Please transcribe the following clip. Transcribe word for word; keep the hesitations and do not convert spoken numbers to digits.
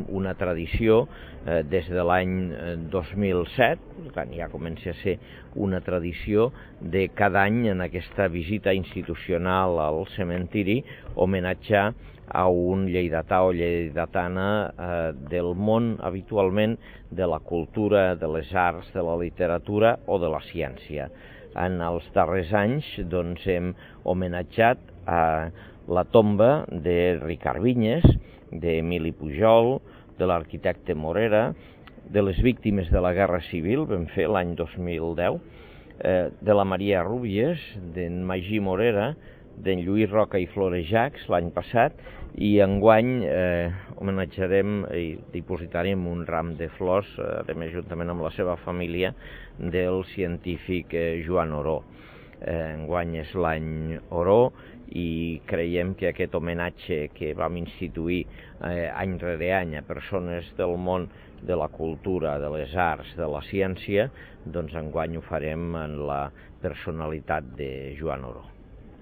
Una tradició eh, des de l'any dos mil set, quan ja comença a ser una tradició de cada any en aquesta visita institucional al cementiri homenatjar a un lleidatà o lleidatana eh, del món habitualment de la cultura, de les arts, de la literatura o de la ciència. En els darrers anys doncs, hem homenatjat a la tomba de Ricard Vinyes, d'Emili Pujol, de l'arquitecte Morera, de les víctimes de la Guerra Civil, vam fer l'any dos mil deu, eh, de la Maria Rúbies, d'en Magí Morera, d'en Lluís Roca i Florejacs l'any passat, i enguany eh, homenatjarem i dipositarem un ram de flors, eh, a més juntament amb la seva família, del científic eh, Joan Oró. Eh, enguany és l'any Oró i creiem que aquest homenatge que vam instituir eh, any rere any a persones del món de la cultura, de les arts, de la ciència, doncs enguany ho farem en la personalitat de Joan Oró.